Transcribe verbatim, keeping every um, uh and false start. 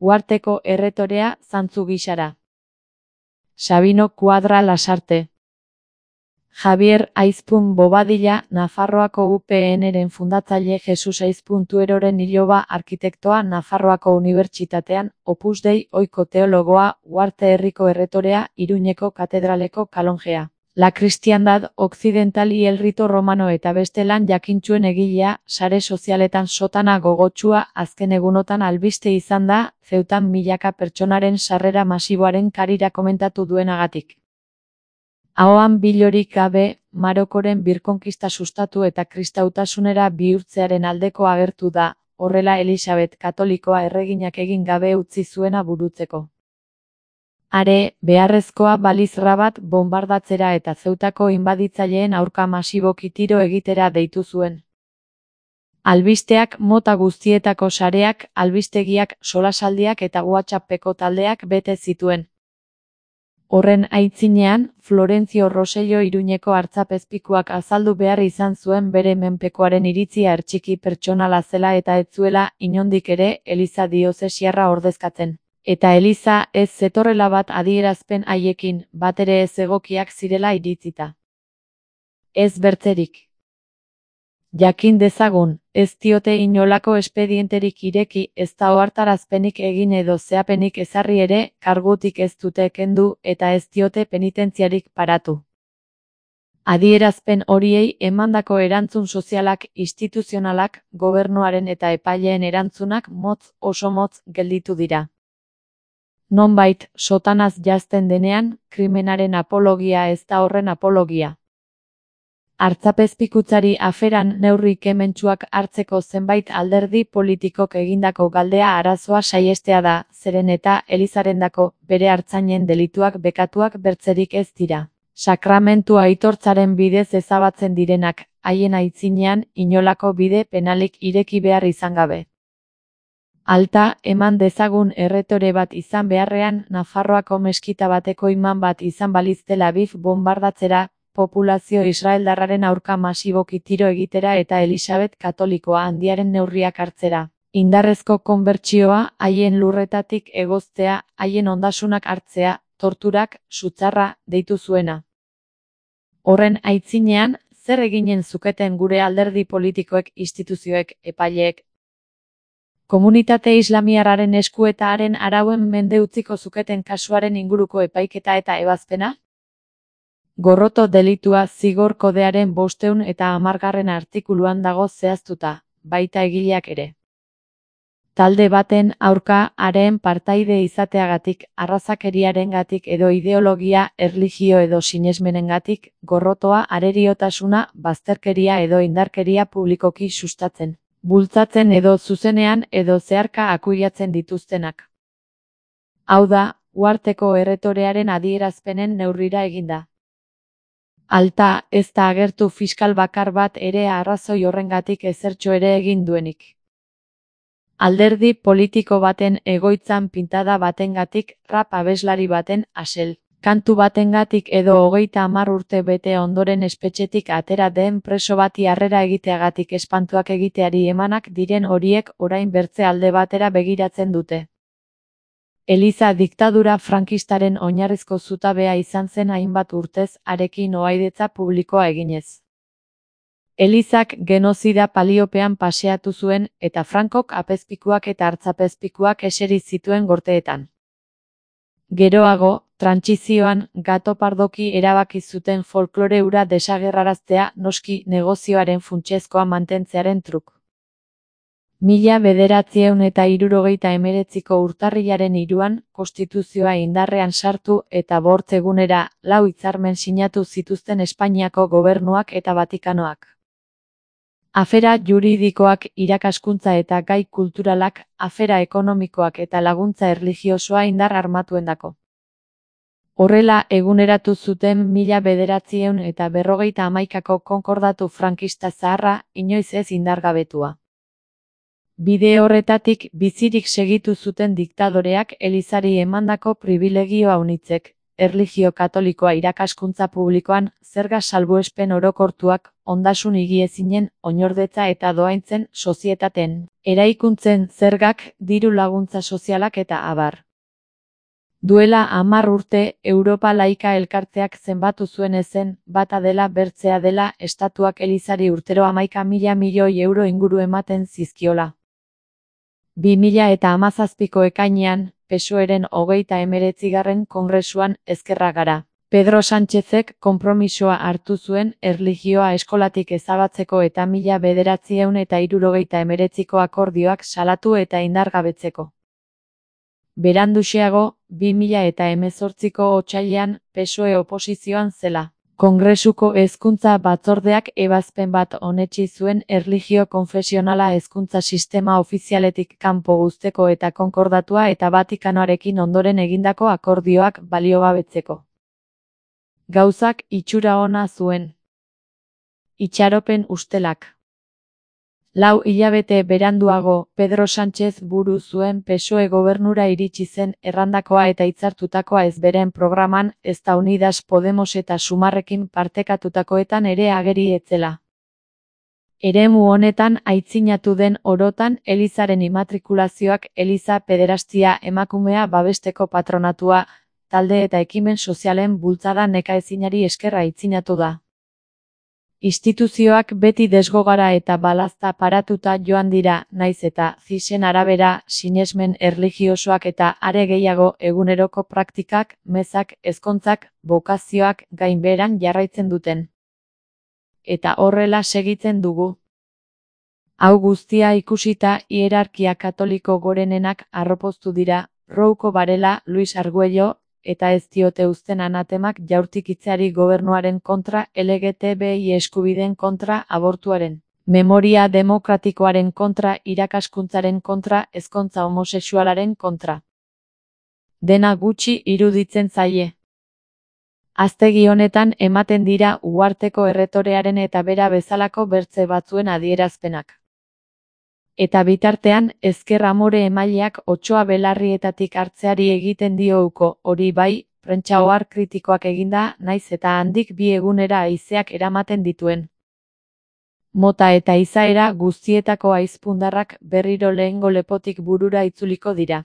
Uharteko erretorea zantzu gisara. Sabino Kuadra Lasarte. Javier Aizpun Bobadilla, Nafarroako U P N-ren fundatzaile Jesus Aizpuntueroren iloba arkitektoa Nafarroako Unibertsitatean, Opus Dei ohiko teologoa, Uharte herriko erretorea, Iruñeko katedraleko kalonjea. La Cristiandad Occidental y el Rito Romano eta beste lan jakintsuen egilea, sare sozialetan sotana gogotsua azken egunotan albiste izan da, Zeutan milaka pertsonaren sarrera masiboaren karira komentatu duenagatik. Ahoan bilorik gabe, Marokoren birkonkista sustatu eta kristautasunera bihurtzearen aldeko agertu da, horrela Elisabet Katolikoa erreginak egin gabe utzi zuena burutzeko. Are, beharrezkoa baliz Rabat bonbardatzera eta Zeutako inbaditzaileen aurka masiboki tiro egitera deitu zuen. Albisteak mota guztietako sareak, albistegiak, solasaldiak eta WhatsAppeko taldeak bete zituen. Horren aitzinean, Florencio Rosello Iruñeko artzapezpikuak azaldu behar izan zuen bere menpekoaren iritzia ertxiki pertsonala zela eta ez zuela, inondik ere, Eliza diozesiarra ordezkatzen. Eta Eliza ez zetorrela bat adierazpen haiekin, batere ez egokiak zirela iritzita. Ez bertzerik. Jakin dezagun, ez diote inolako espedienterik ireki, ez da ohartarazpenik egin edo zehapenik ezarri ere, kargutik ez dute kendu eta ez diote penitentziarik paratu. Adierazpen horiei emandako erantzun sozialak, instituzionalak, gobernuaren eta epaileen erantzunak motz oso motz gelditu dira. Nonbait, sotanaz jazten denean, krimenaren apologia ez da horren apologia. Artzapezpikutzari aferan neurri kementsuak hartzeko zenbait alderdi politikok egindako galdea arazoa saihestea da, zeren eta Elizarendako bere hartzainen delituak bekatuak bertzerik ez dira. Sakramentu aitortzaren bidez ezabatzen direnak, haien aitzinean, inolako bide penalik ireki behar izan gabe. Alta, eman dezagun erretore bat izan beharrean, Nafarroako meskita bateko iman bat izan baliz Tel Aviv bonbardatzera, populazio israeldarraren aurka masiboki tiro egitera eta Elisabet Katolikoa handiaren neurriak hartzera. Indarrezko konbertsioa, haien lurretatik egoztea, haien ondasunak hartzea, torturak, sutzarra, deitu zuena. Horren aitzinean, zer eginen zuketen gure alderdi politikoek, instituzioek, epaileek? Komunitate islamiarraren esku eta haren arauen mende utziko zuketen kasuaren inguruko epaiketa eta ebazpena? Gorroto delitua zigor kodearen bosteun eta hamargarren artikuluan dago zehaztuta, baita egileak ere. Talde baten aurka haren partaide izateagatik, arrazakeriarengatik edo ideologia, erlijio edo sinesmenengatik, gorrotoa areriotasuna, bazterkeria edo indarkeria publikoki sustatzen, bultzatzen edo zuzenean edo zeharka akuiatzen dituztenak. Hau da, uharteko erretorearen adierazpenen neurrira eginda. Alta, ez da agertu fiskal bakar bat ere arrazoi horrengatik ezertxo ere egin duenik. Alderdi politiko baten egoitzan pintada batengatik, rap abeslari baten asel, kantu batengatik edo hogeita hamar urte bete ondoren espetxetik atera den preso bati harrera egiteagatik espantuak egiteari emanak diren horiek orain bertze alde batera begiratzen dute. Eliza diktadura frankistaren oinarrizko zutabea izan zen hainbat urtez harekin ohaidetza publikoa eginez. Elizak genozida paliopean paseatu zuen eta Frankok apezpikuak eta hartzapezpikuak eseri zituen gorteetan. Geroago, trantsizioan, gato pardoki erabaki zuten folklore hura desagerraraztea noski negozioaren funtsezkoa mantentzearen truk. Mila bederatziehun eta hirurogeita hemeretziko urtarrilaren hiruan, konstituzioa indarrean sartu eta bortz egunera lau hitzarmen sinatu zituzten Espainiako gobernuak eta Vatikanoak. Afera juridikoak, irakaskuntza eta gai kulturalak, afera ekonomikoak eta laguntza erlijiosoa indar armatuendako. Horrela eguneratu zuten mila bederatziehun eta berrogeita hamaikako konkordatu frankista zaharra, inoiz ez indargabetua. Bide horretatik bizirik segitu zuten diktadoreak Elizari emandako pribilegio aunitzek, erlijio katolikoa irakaskuntza publikoan, zerga salbuespen orokortuak, ondasun higiezinen, oinordetza eta dohaintzen sozietateen, eraikuntzen zergak, diru laguntza sozialak eta abar. Duela hamar urte, Europa Laika Elkarteak zenbatu zuen ezen, bata dela bertzea dela, estatuak elizari urtero hamaika mila milioi euro inguru ematen zizkiola. bi mila eta hamazazpiko ekainean, P S O Eren hogeita hemeretzigarren kongresuan ezkerra gara. Pedro Sánchezek konpromisoa hartu zuen erlijioa eskolatik ezabatzeko eta mila bederatziehun eta hirurogeita hemeretziko akordioak salatu eta indargabetzeko. Beranduxeago, bi mila eta hemezortziko otsailean, P S O E oposizioan zela. Kongresuko hezkuntza batzordeak ebazpen bat onetsi zuen erlijio konfesionala hezkuntza sistema ofizialetik kanpo uzteko eta konkordatua eta Vatikanoarekin ondoren egindako akordioak baliogabetzeko. Gauzak itxura ona zuen. Itxaropen ustelak. Lau hilabete beranduago, Pedro Sánchez buru zuen P S O E gobernura iritsi zen errandakoa eta hitzartutakoa ez beren programan, ezta Unidas Podemos eta Sumarrekin partekatutakoetan ere ageri etzela. Eremu honetan aitzinatu den orotan Elizaren immatrikulazioak Eliza pederastia emakumea babesteko patronatua, talde eta ekimen sozialen bultzada nekaezinari esker aitzinatu da. Instituzioak beti desgogara eta balazta paratuta joan dira, naiz eta zisen arabera, sinesmen erlijiosoak eta are gehiago eguneroko praktikak, mezak, ezkontzak, bokazioak gainbeheran jarraitzen duten. Eta horrela segitzen dugu. Hau guztia ikusita hierarkia katoliko gorenenak arropoztu dira, Rouko Varela, Luis Arguello, eta ez diote uzten anatemak jaurtikitzeari gobernuaren kontra, L G T B I eskubideen kontra, abortuaren, memoria demokratikoaren kontra, irakaskuntzaren kontra, ezkontza homosexualaren kontra. Dena gutxi iruditzen zaie. Aztegi honetan ematen dira uharteko erretorearen eta bera bezalako bertze batzuen adierazpenak. Eta bitartean, ezker amore emaileak otsoa belarrietatik hartzeari egiten dio uko, hori bai, prentsa ohar kritikoak eginda, naiz eta handik bi egunera haizeak eramaten dituen. Mota eta izaera guztietako haizpundarrak berriro lehengo lepotik burura itzuliko dira.